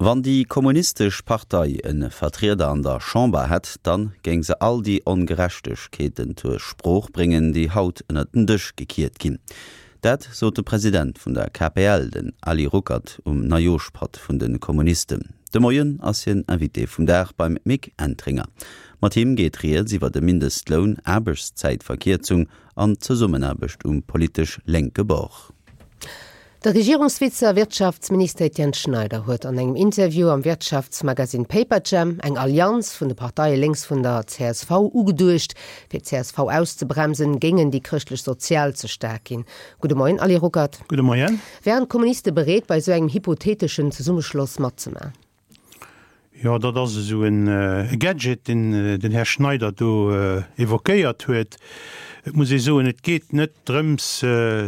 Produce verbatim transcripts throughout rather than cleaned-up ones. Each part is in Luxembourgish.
Wann déi kommunistesch Partei e Vertrieder an der Chamber hätt, dann géing se all déi Ongerechtegkeeten zur Sprooch bréngen, déi haut ënnert den Dësch gekiert ginn. Dat sot de President vun der K P L, den Ali Ruckert, um Neijooschpatt vun de Kommunisten. De Moien ass hien Invité vum Dag beim Mick Entringer. Mat him geet rieds iwwer de Mindestloun, Aarbechtszäitverkierzung an Zesummenaarbecht um politesch lénke Bord. De Regierungsvize a Wirtschaftsminister Etienne Schneider huet an engem Interview am Wirtschaftsmagazin Paperjam eng Allianz vun de Parteie lénks vun der C S V ugeduecht. Fir d'C S V auszebremsen, géingen déi chrëschtlech Sozial ze staark ginn. Gudde Moien, Ali Ruckert. Gudde Moien. Wären d'Kommuniste bereet, bei sou engem hypotheeteschen Zesummeschloss matzemaachen? Jo, dat ass esou en Gadget, deen den Här Schneider do evoquéiert huet. Et muss ee soen, et geet net drëms,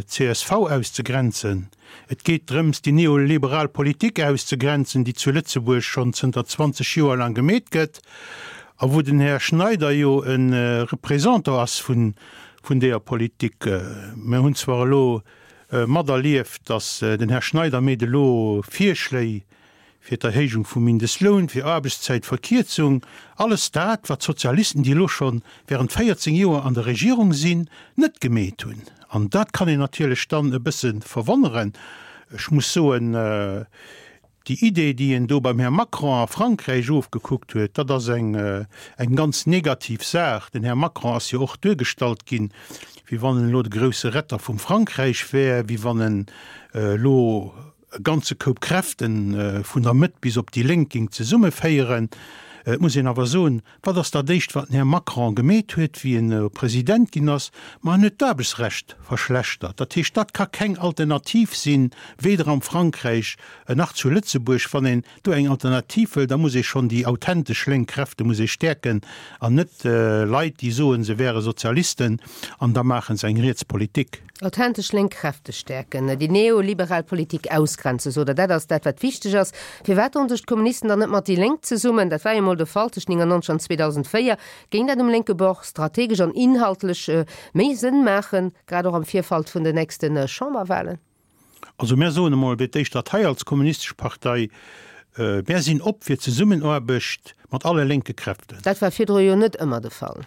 d'C S V auszegrenzen. Et geet drëms, déi neoliberal Politik auszegrenzen, déi zu Lëtzebuerg schonn zënter zwanzeg Joer laang gemeet gëtt a wou den Här Schneider jo e Représentant ass vun vun deeër Politik. Mir hunn zwar elo materlieft, datt den Här Schneider meet elo Virschléi fir d'Erhéijung vum Mindestloun, fir Aarbechtszäitverkierzung, alles dat, wat d'Sozialisten, déi elo scho während véierzéng Joer an der Regierung sinn, net gemeet hunn. An dat kann een natierlech dann e bësse verwonneren. Ech muss soen, déi Idee, déi en do beim Här Macron a Frankräich ofgekuckt huet, dat ass eng eng ganz negativ Saach. Den Här Macron ass jo och duergestallt ginn, wéi wann en elo de grousse Retter vum Frankräich wär, wéi wann en elo e ganze Koup Kräfte vun der Mëtt bis op déi Lénk géing zesummeféieren. Et muss een awer soen, wat ass dat éischt, wat den Här Macron gemeet huet, wéi en President ginn ass? Ma en huet d'Aarbechtsrecht verschlechtert. Dat heescht, dat ka keng Alternativ sinn, weder am Frankräich nach zu Lëtzebuerg. Wann een do eng Alternativ wëll, da muss ee schonn déi authentesch lénk Kräfte muss ee stäerken an net Leit, déi soen, se wäre Sozialisten an da maache se eng riets Politik. Authentesch lénk Kräfte stäerken, déi neoliberal Politik ausgrenzen, sot Der, dat ass dat, wat wichteg ass. Firwat doen sech d'Kommunisten dann net mat déi Lénk zesummen? Dat war jo emol de Fall tëscht neunundneunzeg an zweedausendvéier. Géing dat um lénke Bord strategesch an inhaltlech méi Sënn maachen, grad och am Virfeld vun den nächste Chamberwahlen? Also mär soen emol fir d'éischt, datt hei als Kommunistesch Partei, mär sinn op fir Zesummenaarbecht mat alle lénke Kräften. Dat war virdru jo net ëmmer de Fall.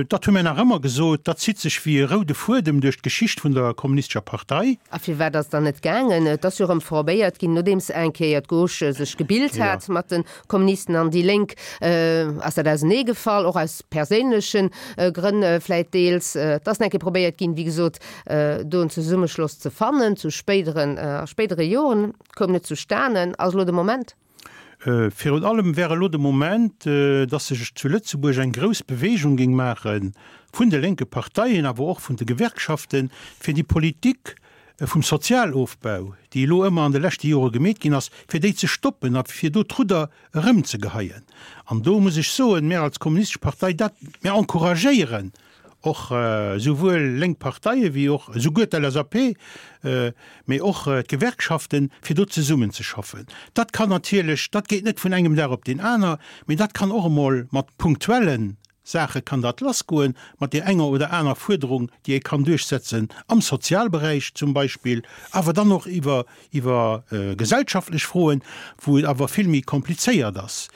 Dat hu mär nach ëmmer gesot. Dat zitt sech wéi e roude Fuedem duerch d'Geschicht vun der Kommunistescher Partei. A firwat ass dann net gaangen? Et ass jo erëm probéiert ginn, nodeems eng Kéier d'Gauche sech gebilt hat mat de Kommunisten an déi Lénk, ass dat auseneegefall, och aus perséinleche Grënn vläit deels. Et ass nach eng Kéier probéiert ginn, wéi gesot, do en Zesummeschloss ze fannen zu spéideren, a spéidere Joren, koum net zustanen. Ass elo de Moment? Virun allem wär elo de Moment, dass sech zu Lëtzebuerg eng grouss Bewegung géing maache vun de lénke Parteien, awer och vun de Gewerkschaften, fir déi Politik vum Sozialofbau, déi elo ëmmer an de leschte Jore gemeet ginn ass, fir déi ze stoppen a fir do d'Rudder erëmzegeheien. An do muss ech soen, mir als Kommunistesch Partei, dat, mir encouragéieren och esouwuel lénk Parteie wéi och esouguer d'L S A P, mee och d'Gewerkschaften, fir do zesummenzeschaffen. Dat kann natierlech, dat geet net vun engem Dag op deen aner, mee dat kann och emol mat punktuelle Saache kann dat lassgoen, mat där enger oder aner Fuerderung, déi ee kann duerchsetzen am Sozialberäich zum Beispill, awer dann och iwwer iwwer gesellschaftlech Froen, wou et awer vill méi komplizéiert ass.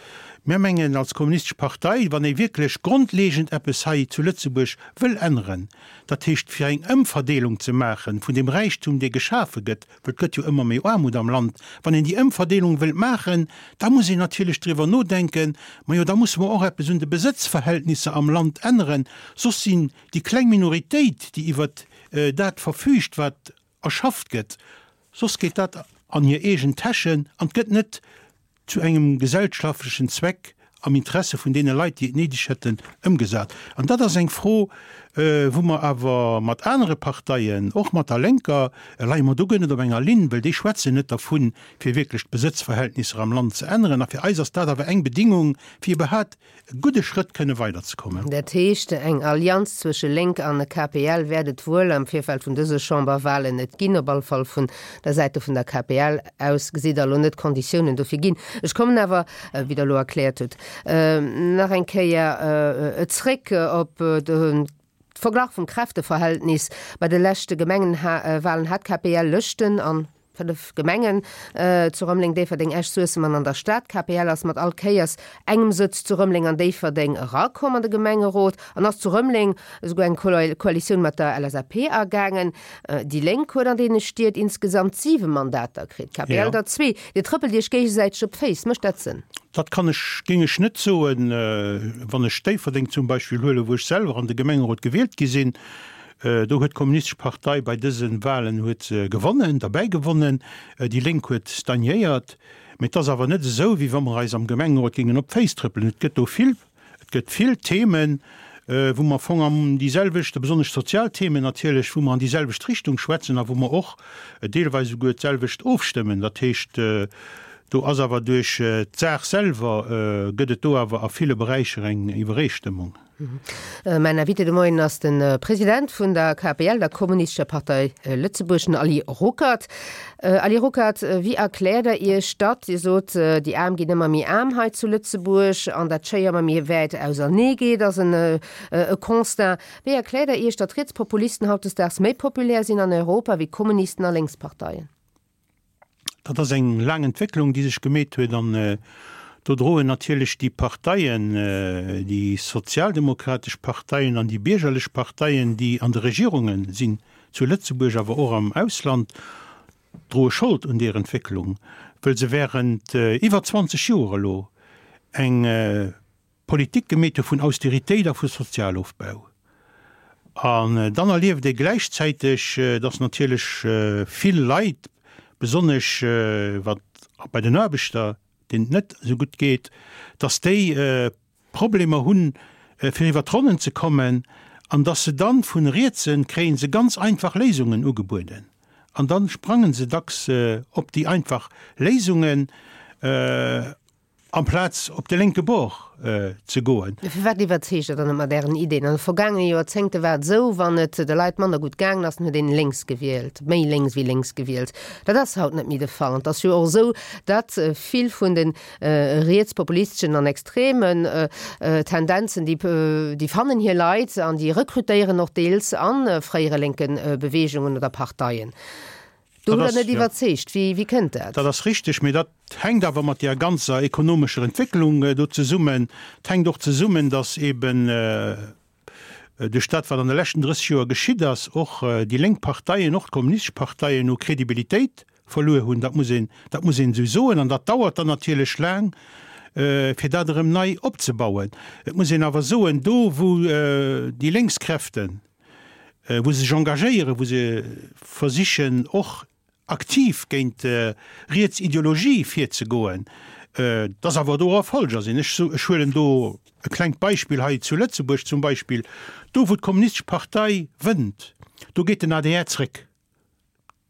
Mir mengen als Kommunistesch Partei, wann ee wierklech grondlegend eppes hei zu Lëtzebuerg wëll änneren, dat heescht fir eng Ëmverdeelung ze maache vun deem Räichtum, dee geschafe gëtt, well et gëtt jo ëmmer méi Aarmut am Land, wann een déi Ëmverdeelung wëllt maachen, da muss een natierlech driwwer nodenken, majo da musse mer och eppes un de Besëtzverhältnisser am Land änneren, soss sinn déi kleng Minoritéit, déi iwwert dat verfüügt, wat erschafft gëtt, soss geet dat an hir eegen Täschen an et gëtt net zu engem gesellschaftlechen Zweck am Interesse vun deene Leit, déi et néideg hätten, ëmgesat. An dat ass eng Fro, wou mer awer mat anere Parteien, och mat der Lénker, leie mer do guer net op enger Linn, well déi schwätzen net dervun, fir wierklech d'Besëtzverhältnisser am Land ze änneren. A fir eis ass dat awer eng Bedingung, fir iwwerhaapt e gudde Schrëtt kënne weiderzekommen. Dat heescht, eng Allianz zwësche Lénk an K P L wäert et wuel am Virfeld vun dëse Chamberwahlen net ginn, op alle Fall vun der Säite vun der K P L aus gesitt Der elo net d'Konditiounen dofir ginn. Ech kommen awer, wéi Der elo erkläert hutt, nach eng Kéier zréck op de Verglach vum Kräfteverhältnis. Bei de leschte Gemengenwahlen hat d'K P L Lëschten an Fënnef Gemengen, zu Rëmeleng, Déifferdeng, Esch, Suessem an an der Stad. D'KPL ass mat all Kéiers engem Sëtz zu Rëmeleng an Déifferdeng erakomm an de Gemengerot an ass zu Rëmeleng esouguer eng Koalitioun mat der LSAP agaangen. Déi Lénk huet an deene Stied insgesamt siwe Mandater kritt, d'KPL der zwee. Dir trëppelt Iech géigesäiteg op d'Féiss. Mécht dat Sënn? Dat kann ech, géing ech net soen. Wann ech Déifferdeng zum Beispill huelen, wou ech selwer an de Gemengerot gewielt gi sinn, Do huet d'Kommunistesch Partei bei dëse Wahlen huet se gewonnen, derbäi gewonnen. Déi Lénk huet stagnéiert. Mee et ass awer net esou, wéi wa mer eis am Gemengerot géingen op d'Féiss trëppelen. Et gëtt do vill, et gëtt vill Themen, wou mer am Fong an déi selwecht, besonnesch sozial Themen natierlech, wou mer an déi selwecht Richtung schwätzen a wou mer och deelweis esouguer d'selwecht ofstëmmen. Dat heescht, do ass awer duerch d'Saach selwer gëtt et do awer a ville Beräicher eng Iwwereestëmmung. Mäin Invité de Moien ass de President vun der KPL, der Kommunistescher Partei Lëtzebuerg, den Ali Ruckert. Ali Ruckert, wéi erkläert Der Iech datt, Dir sot, déi Aarm ginn ëmmer méi aarm hei zu Lëtzebuerg an dat d'Schéier ëmmer méi wäit ausernee geet, ass en Constat. Wéi erkläert Der Iech, datt Rietspopulisten hautdesdaags méi populär sinn an Europa wéi Kommunisten a Lénksparteien? Dat ass eng laang Entwécklung, déi sech gemeet huet an do droen natierlech déi Parteien, déi sozialdemokratesch Parteien an déi biergerlech Parteien, déi an de Regierunge sinn, zu Lëtzebuerg awer och am Ausland, droe Schold un deer Entwécklung, wëll se während iwwer zwanzeg Joer elo eng Politik gemeet hu vun Austeritéit a vu Sozialofbau. An dann erlieft ee gläichzäiteg, dass natierlech vill Leit, besonnesch wat bei den Aarbechter, deenen et net esou gutt geet, dass déi Problemer hunn, fir iwwer d'Ronnen ze kommen, an dass se dann vun rietse kréie se ganz einfach Léisungen ugebueden. An da sprange se dacks op déi einfach Léisungen. Amplaz op de lénke Bord ze goen. Firwat iwwerzeegt Der dann net mat Ären Ideen? An de vergaangene Joerzéngte war et esou, wann et de Leit manner gutt gaangen ass, dann huet een lénks gewielt, méi lénks wéi lénks gewielt. Dat ass haut net méi de Fall. An et ass jo och esou, datt vill vun de rietspopulisteschen an extremen Tendenzen, déi, déi fannen hir Leit an déi rekrutéieren och deels a fréiere lénke Beweegungen oder Parteien. Do hutt Der net iwwerzeegt. Wéi, wéi kënnt dat? Dat ass richteg, mee dat hänkt awer mat där ganzer ekonomescher Entwécklung do zesummen. Et hänkt och zesummen, datt eeben duerch dat, wat an de leschten drësseg Joer geschitt ass, och déi lénk Parteien, och d'kommunistesch Parteien u Kredibilitéit verluer hunn. Dat muss een, dat muss een esou soen. An dat dauert dann natierlech laang, fir dat erëm nei opzebauen. Et muss een awer soen, do wou déi lénks Kräften, wou se sech engagéieren, wou se versichen och aktiv géint riets Ideologie virzegoen, dass awer do Erfolger sinn. Ech ech huelen do e klengt Beispill hei zu Lëtzebuerg zum Beispill, do wou d'Kommunistesch Partei wënnt, do geet den adr zréck.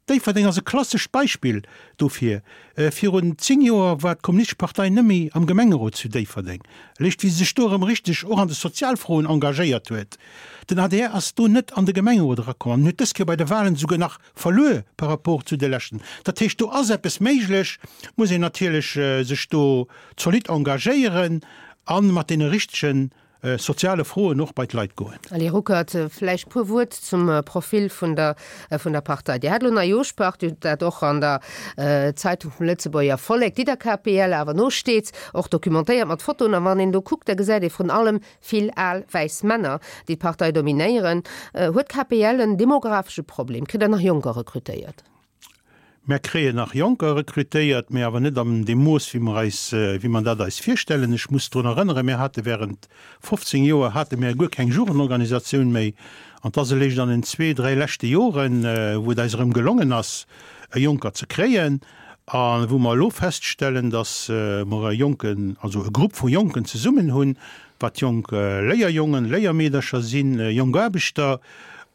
Déifferdeng ass e klassescht Beispill dofir. Virun zéng Joer war d'Kommunistesch Partei net méi am Gemengerot zu Déifferdeng. Eréischt wéi se sech do erëm richteg och an de Sozialfroen engagéiert huet. Den adr ass do net an de Gemengerot erakomm an huet dës Kéier bei de Wahlen esouguer nach verluer par rapport zu de leschten. Dat heescht, do ass eppes méiglech, muss een natierlech sech do zolidd engagéieren a mat deene richtegen soziale Froen och bei d'Leit goen. Allez Ruckert, vläicht puer Wuert zum Profil vun der vun der Partei. Dir hat elo Neijooschpaart, Dir hutt dat och an der Zeitung vum Lëtzebuerger Vollek, déi der KPL awer nosteet, och documentéiert mat Fotoen. A wann een do kuckt, da gesäit ee vrun allem vill al wäiss Männer, déi d'Partei dominéieren. Huet d'KPL en demographesche Problem? Kritt Der nach Jonker rekrutéiert? Mär kréien nach Jonker rekrutéiert, mä awer net an deem Mooss, wéi mer eis, wéi mer dat eis virstellen. Ech muss drun erënneren, mär hate während fofzéng Joer hate mär guer keng Jugendorganisatioun méi. An 't ass eréischt an den zwee, dräi leschte Joren, wou et eis erëm gelongen ass, e Jonker ze kréien a wou mer elo feststellen, dass mer e Jonken, also e Grupp vu Jonken zesummen hunn, wat jonk Léierjongen, Léiermeedercher sinn, jonk Aarbechter,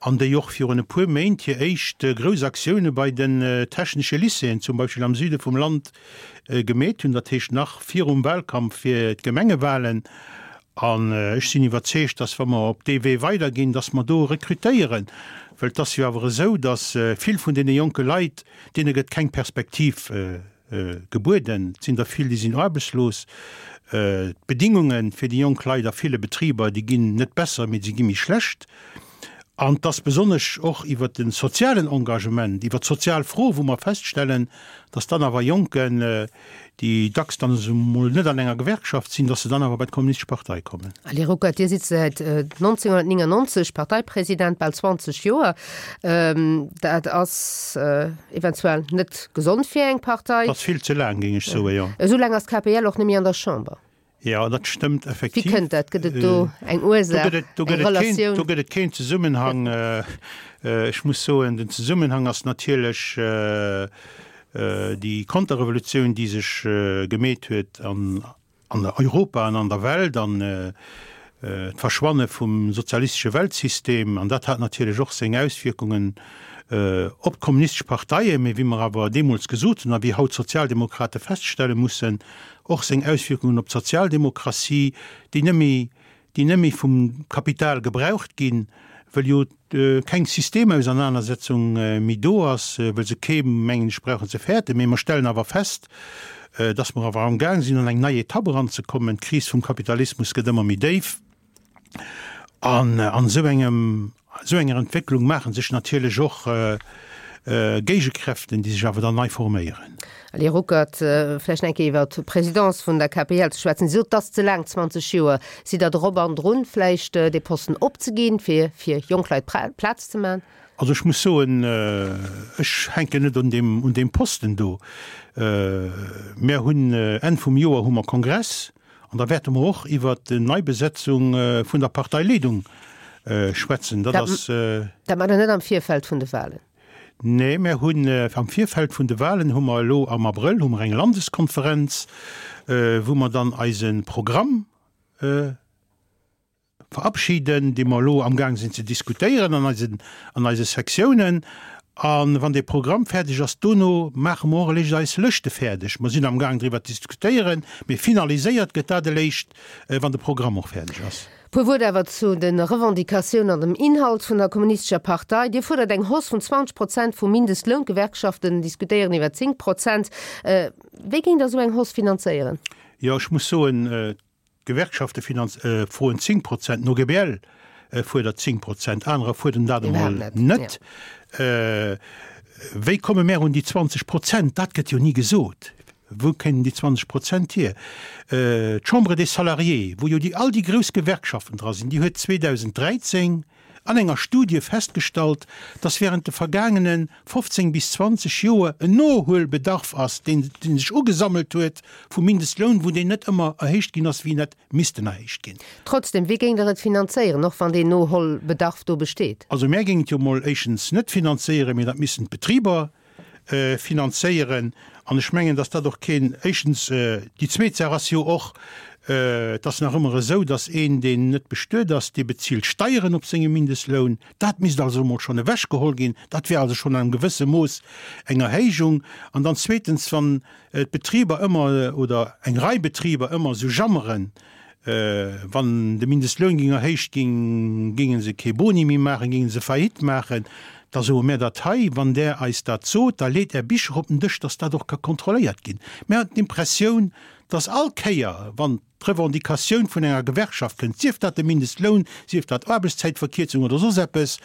an déi och virun e puer Méint hir éischt grouss Aktioune bei den technesche Lycéeën, zum Beispill am Süde vum Land, gemeet hunn, dat heescht nach virum Wahlkampf fir d'Gemengewahlen. An ech sinn iwwerzeegt, dass, wa mer op dee Wee weiderginn, dass mer do rekrutéieren, well et ass jo awer esou, dass vill vun deene jonke Leit, deene gëtt keng Perspektiv gebueden. Et sinn der vill, déi sinn aarbechtslos. D'Bedingunge fir déi jonk Leit a ville Betriber, déi ginn net besser, mee se gi méi schlecht. An et ass besonnesch och iwwert de sozialen Engagement, iwwert d'sozial Fro, wou mer feststellen, dass dann awer Jonken, déi dacks dann esou emol net an enger Gewerkschaft sinn, dass se dann awer bei d'Kommunistesch Partei kommen. Ali Ruckert, Dir sidd säit neunzehnhundertneunundneunzeg Parteipresident, bal zwanzeg Joer. Dat ass eventuell net gesond fir eng Partei. Dat ass vill ze laang, géing ech soen, jo. Esou laang ass d'K P L och net méi an der Chamber. Jo, dat stëmmt effektiv. Wéi kënnt dat? Gëtt et do eng Ursaach, eng Relatioun? Do gëtt et keen Zesummenhang. Ech muss soen, den Zesummenhang ass natierlech déi Konterrevolutioun, déi sech gemeet huet an Europa an an der Welt an d'Verschwanne vum sozialistesche Weltsystem. An dat hat natierlech och seng Auswierkungen op d'kommunistesch Parteien, mee wéi mer awer deemools gesot hunn a wéi haut d'Sozialdemokrate feststelle mussen, och seng Auswierkungen op d'Sozialdemokratie, déi net méi, déi net méi vum Kapital gebraucht ginn, well jo keng Systemausernanersetzung méi do ass, well se kee, mengen ech, brauchen ze fäerten. Mee mer stellen awer fest, dass mer awer amgaang sinn an eng nei Etapp eranzekommen. D'Kris vum Kapitalismus gëtt ëmmer méi déif. An an esou engem, esou enger Entwécklung maache sech natierlech och Géigekräften, déi sech awer dann nei forméieren. Ali Ruckert, vläicht nach eng Kéier iwwer d'Presidence vun der K P L ze schwätzen. Dir sot, et ass ze laang, zwanzeg Joer. Sidd Der drop an drun, vläicht dee Posten opzeginn, fir fir jonk Leit Plaz ze maachen? Also ech muss soen, ech hänken net un deem, un deem Posten do. Mär hunn Enn vum Joer hu mer Kongress an da wäerte mer och iwwert d'Neibesetzung vun der Parteileedung schwätzen. Dat ass. Dat maacht Der net am Virfeld vun de Wahlen? Nee, mär hunn am Virfeld vun de Wahlen hu mer elo am Abrëll hu mer eng Landeskonferenz, wou mer dann eise Programm verabschieden, dee mer elo amgaang sinn ze diskutéieren an eisen, an eise Sektiounen. A wann dee Programm fäerdeg ass, dono maache mer och eréischt eis Lëschte fäerdeg. Mer sinn amgaang driwwer ze diskutéieren, mee finaliséiert gëtt dat eréischt, wann de Programm och fäerdeg ass. Puer Wuert awer zu de Revendicatiounen an dem Inhalt vun der Kommunistescher Partei. Dir fuerdert eng Hausse vun zwanzeg Prozent vum Mindestloun, d'Gewerkschaften diskutéieren iwwer zéng Prozent. Wéi géingt Der esou eng Hausse finanzéieren? Jo, ech muss soen, d'Gewerkschafte froen zéng Prozent, den O G B L fuerdert zéng Prozent, anerer fuerderen dat emol net. Wéi komme mär un déi zwanzeg Prozent? Dat gëtt jo ni gesot. Wou kéinten déi zwanzeg Prozent hier? D'Chambre des Salariés, wou jo déi all déi grouss Gewerkschaften dra sinn, déi huet zweedausendräizéng an enger Studie festgestallt, dass während de vergaangene fofzéng bis zwanzeg Joer en Nohuelbedarf ass, deen sech ugesammelt huet vum Mindestloun, wou deen net ëmmer erhéicht ginn ass, wéi en hätt missten erhéicht ginn. Trotzdem, wéi géingt Der et finanzéieren, och wann deen Noholbedarf do besteet? Also mär géingen et jo emol éischtens net finanzéieren, mee dat missten d'Betriber finanzéieren. An ech mengen, dass dat och keen, éischtens, déi zweet Saach ass jo och, et ass nach ëmmer esou, dass een, deen net bestuet ass, dee bezilt Steieren op sengem Mindestloun. Dat misst also emol schonn ewechgeholl ginn. Dat wär also schonn an engem gewësse Mooss eng Erhéijung. An dann zweetens, wann d'Betriber ëmmer, oder eng Rei Betriber ëmmer esou jammeren, wann de Mindestloun géing erhéicht ginn, géinge se kee Boni méi maachen, géinge se Faillite maachen, da soe mär dat hei, wann Der eis dat sot, da leet Är Bicher op den Dësch, dass dat och ka kontrolléiert ginn. Mär hunn d'Impressioun, dass all Kéier, wann d'Revendicatioun vun enger Gewerkschaft kënnt, sief dat de Mindestloun, sief dat Aarbechtszäitverkierzung oder soss eppes,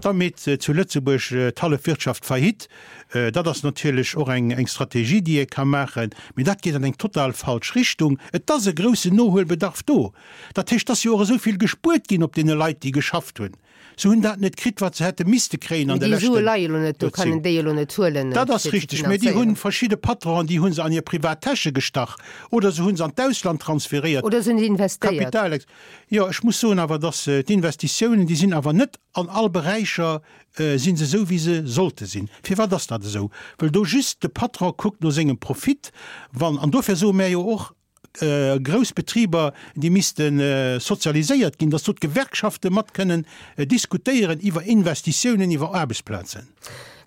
da meet zu Lëtzebuerg d'hallef Wirtschaft Faillite. Dat ass natierlech och eng Strategie, déi ee ka maachen, mee dat geet an eng total falsch Richtung. Et ass e groussen Nohuelbedarf do. Dat heescht, et ass jo och esou vill gespuert ginn op deene Leit, déi geschafft hunn. Se hunn dat net kritt, wat se hätte misste kréien an de leschten Joerzéngten. Dat ass richteg, mä déi hunn verschidde Patronen, déi hu se an hir privat Täsche gestach oder se hu se an d'Ausland transferéiert. Oder se hunn se investéiert. Kapitalex. Jo, ech muss soen awer, datt d'Investitiounen, déi sinn awer net an all Beräicher si se esou, wéi se sollte sinn. Firwat ass dat esou? Well do just de Patron kuckt no sengem Profit. Wann, an dofir soe mär jo och, grouss Betriber, déi misste sozialiséiert ginn, datt do d'Gewerkschafte mat kënnen diskutéieren iwwer Investitiounen, iwwer Aarbechtsplazen.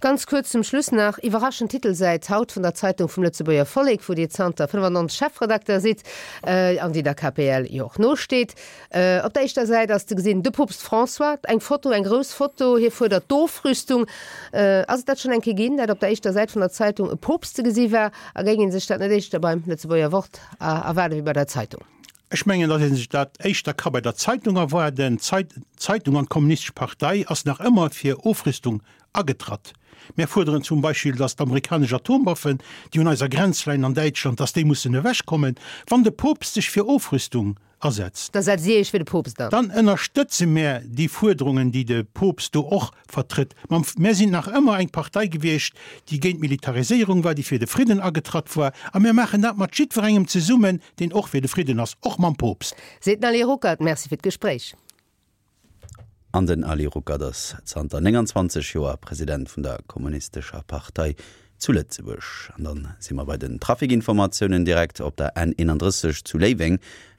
Ganz kuerz zum Schluss nach, Iwwerraschend Titelsäit haut vun der Zeitung vum Lëtzebuerger Vollek, wou Dir zanter fënnefannonzeg Chefredakter sidd an déi der K P L jo och nosteet. Op der éischter Säit ass ze gesinn de Poopst François, eng Foto, eng grouss Foto, hie fuerdert d'Ofrüstung. Ass et dat schonn eng Kéier ginn, dat op der éischter Säit vun der Zeitung e Poopst ze gesi war? A géing ee sech dat net éischter beim Lëtzebuerger Wort erwaarde wéi bei der Zeitung? Ech mengen, datt ee sech dat éischter ka bei der Zeitung erwaarden. D'Zeitung an d'Kommunistesch Partei ass nach ëmmer fir Ofrüstung agetratt. Mär fuerderen zum Beispill, datt d'amerikanesch Atomwaffen, déi un eiser Grenz leien an Däitschland, datt déi mussen ewechkommen. Wann de Poopst sech fir Ofrüstung asetzt. Da setzt Dir Iech fir de Poopst an. Dann ënnerstëtze mär déi Fuerderungen, déi de Poopst do och vertrëtt. Mär sinn nach ëmmer eng Partei gewiescht, déi géint d'Militariséierung war, déi fir de Fridden agetratt war. A mär maachen dat mat jiddwerengem zesummen, deen och fir de Fridden ass, och mam Poopst. Seet den Ali Ruckert. Merci fir d'Gespréich. An den Ali Ruckert ass zanter nénganzwanzeg Joer President vun der Kommunistescher Partei zu Lëtzebuerg. An dann si mer bei den Trafikinformatiounen direkt op der N eenandrësseg zu Léiweng.